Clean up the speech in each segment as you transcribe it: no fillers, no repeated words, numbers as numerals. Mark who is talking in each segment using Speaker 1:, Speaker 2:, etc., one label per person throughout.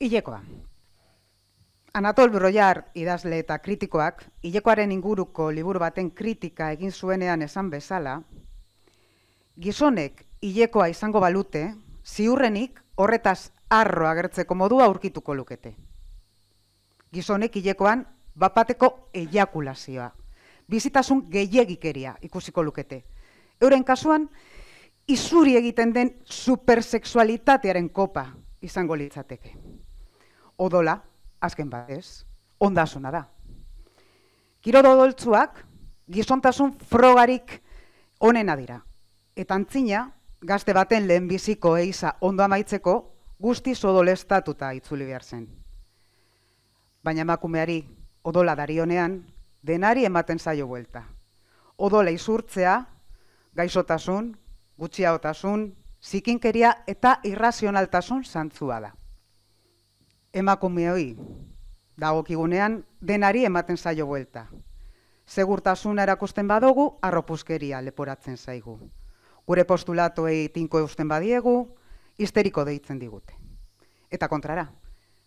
Speaker 1: Hilekoa. Anatol Broiar idazle eta kritikoak, hilekoaren inguruko liburu baten kritika egin zuenean esan bezala, gizonek hilekoa izango balute, ziurrenik horretaz harro agertzeko modua aurkituko lukete. Gizonek hilekoan bapateko eiakulazioa, bizitasun gehiegikeria ikusiko lukete. Euren kasuan, izuri egiten den supersexualitatearen kopa izango litzateke. Odola, azken batez, ondasuna da. Kirol odoltzuak gizontasun frogarik onena dira. Eta antzina, gazte baten lehenbiziko eiza ondo amaitzeko guztiz odolestatuta itzuli behar zen. Baina emakumeari odola darionean, denari ematen zaio buelta. Odola izurtzea, gaixotasun, gutxiagotasun, zikinkeria eta irrazionaltasun zantzua da. Emakumeoi dagokigunean denari ematen zaio buelta. Segurtasuna erakusten badugu, arropuzkeria leporatzen zaigu. Gure postulatuei tinko eusten badiegu, histeriko deitzen digute. Eta kontrara,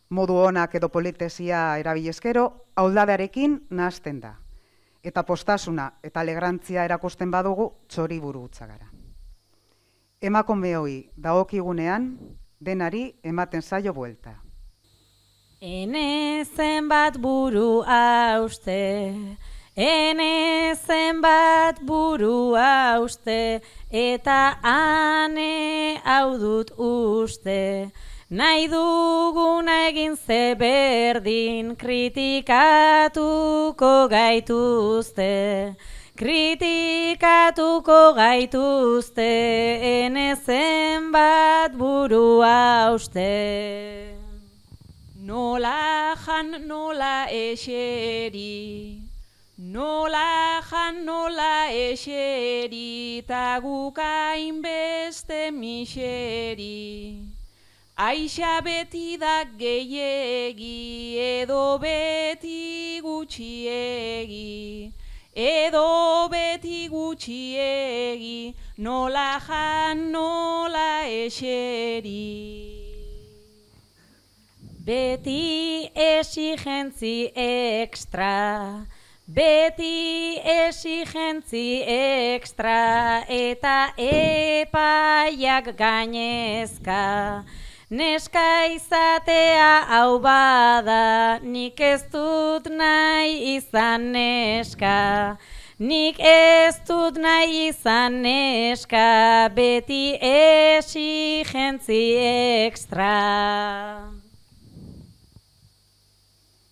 Speaker 1: modu onak edo politesia erabilezkero, auldadearekin nahasten da. Eta postasuna eta alegrantzia erakusten badugu, txoriburu utza gara. Emakumeoi dagokigunean denari ematen zaio buelta.
Speaker 2: Ene zenbat buru hauste, ene zenbat buru hauste, eta ane hau dut uste. Nahi duguna egin ze berdin, kritikatuko gaituzte. Kritikatuko gaituzte, ene zenbat buru hauste. Nola jan, nola eseri, nola jan, nola eseri, ta gukain beste miseri. Aixa beti da gehiegi, edo beti gutxiegi, edo beti gutxiegi, nola jan, nola eseri. Beti exigentzi extra, beti exigentzi extra, eta epaiak gainezka. Neska izatea hau bada, nik ez dut nahi izan neska. Nik ez dut nahi izan neska, beti exigentzi extra.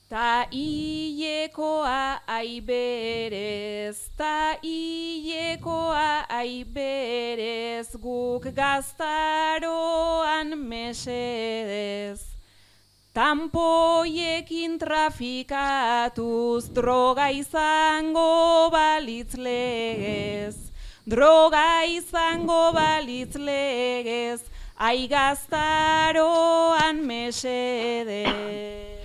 Speaker 2: Ta hilekoa aiberez, ta hilekoa aiberez, guk gaztaroan mesedez. Tanpoiekin trafikatuz, droga izango balitz legez. Droga izango balitz legez, ai gaztaroan mesedez.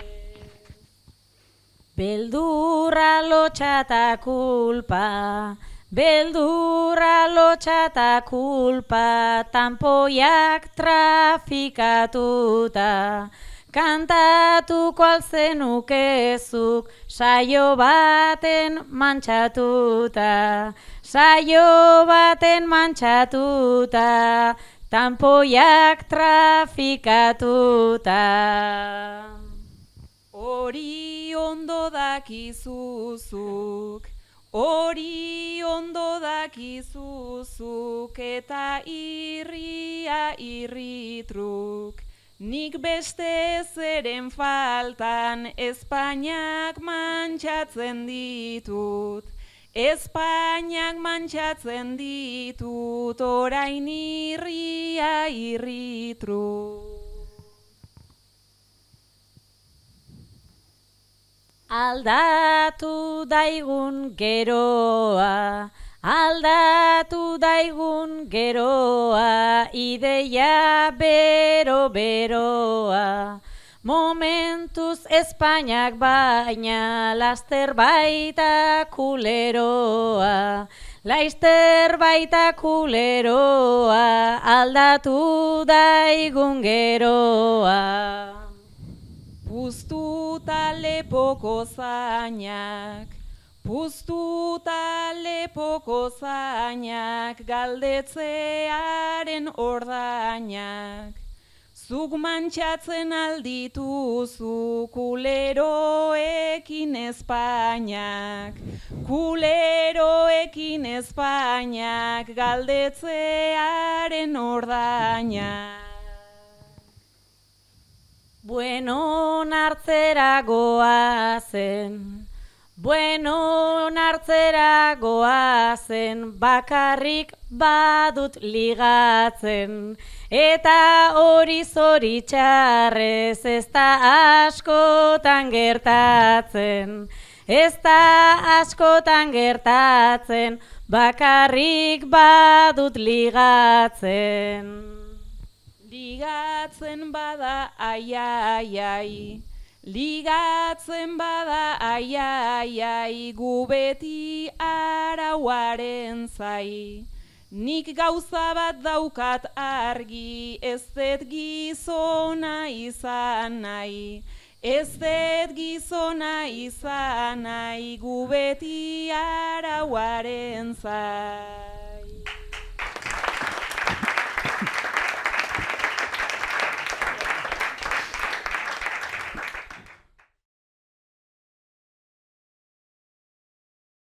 Speaker 2: Beldurra lotxata kulpa, beldurra lotxata kulpa, tanpoiak trafikatuta. Kantatuko alzenukezuk, saio baten mantxatuta. Saio baten mantxatuta, tanpoiak trafikatuta. Hori ondo dakizuzuk, hori ondo dakizuzuk, eta irria irritruk. Nik beste zeren faltan Espainiak mantxatzen ditut. Espainiak mantxatzen ditut, orain irria irritruk. Aldatu daigun geroa, aldatu daigun geroa, ideia bero-beroa. Momentuz Espainiak baina, laster baita kuleroa. Laster baita kuleroa, aldatu daigun geroa.
Speaker 3: puztuta lepoko zainak, puztuta lepoko zainak, galdetzearen ordainak. Zuk mantxatzen aldituzu kuleroekin Espainiak, kuleroekin Espainiak, galdetzearen ordainak.
Speaker 2: Bueno nartzera goazen, bueno nartzera goazen, bakarrik badut ligatzen, eta hori zoritxarrez ez da askotan gertatzen, ez da askotan gertatzen, bakarrik badut ligatzen.
Speaker 3: Ligatzen bada ai, ai, ai, ligatzen bada ai, ai, ai, gu beti arauaren zai. Nik gauza bat daukat argi, ez dut gizona izan nahi, ez dut gizona izan nahi, gu beti arauaren zai.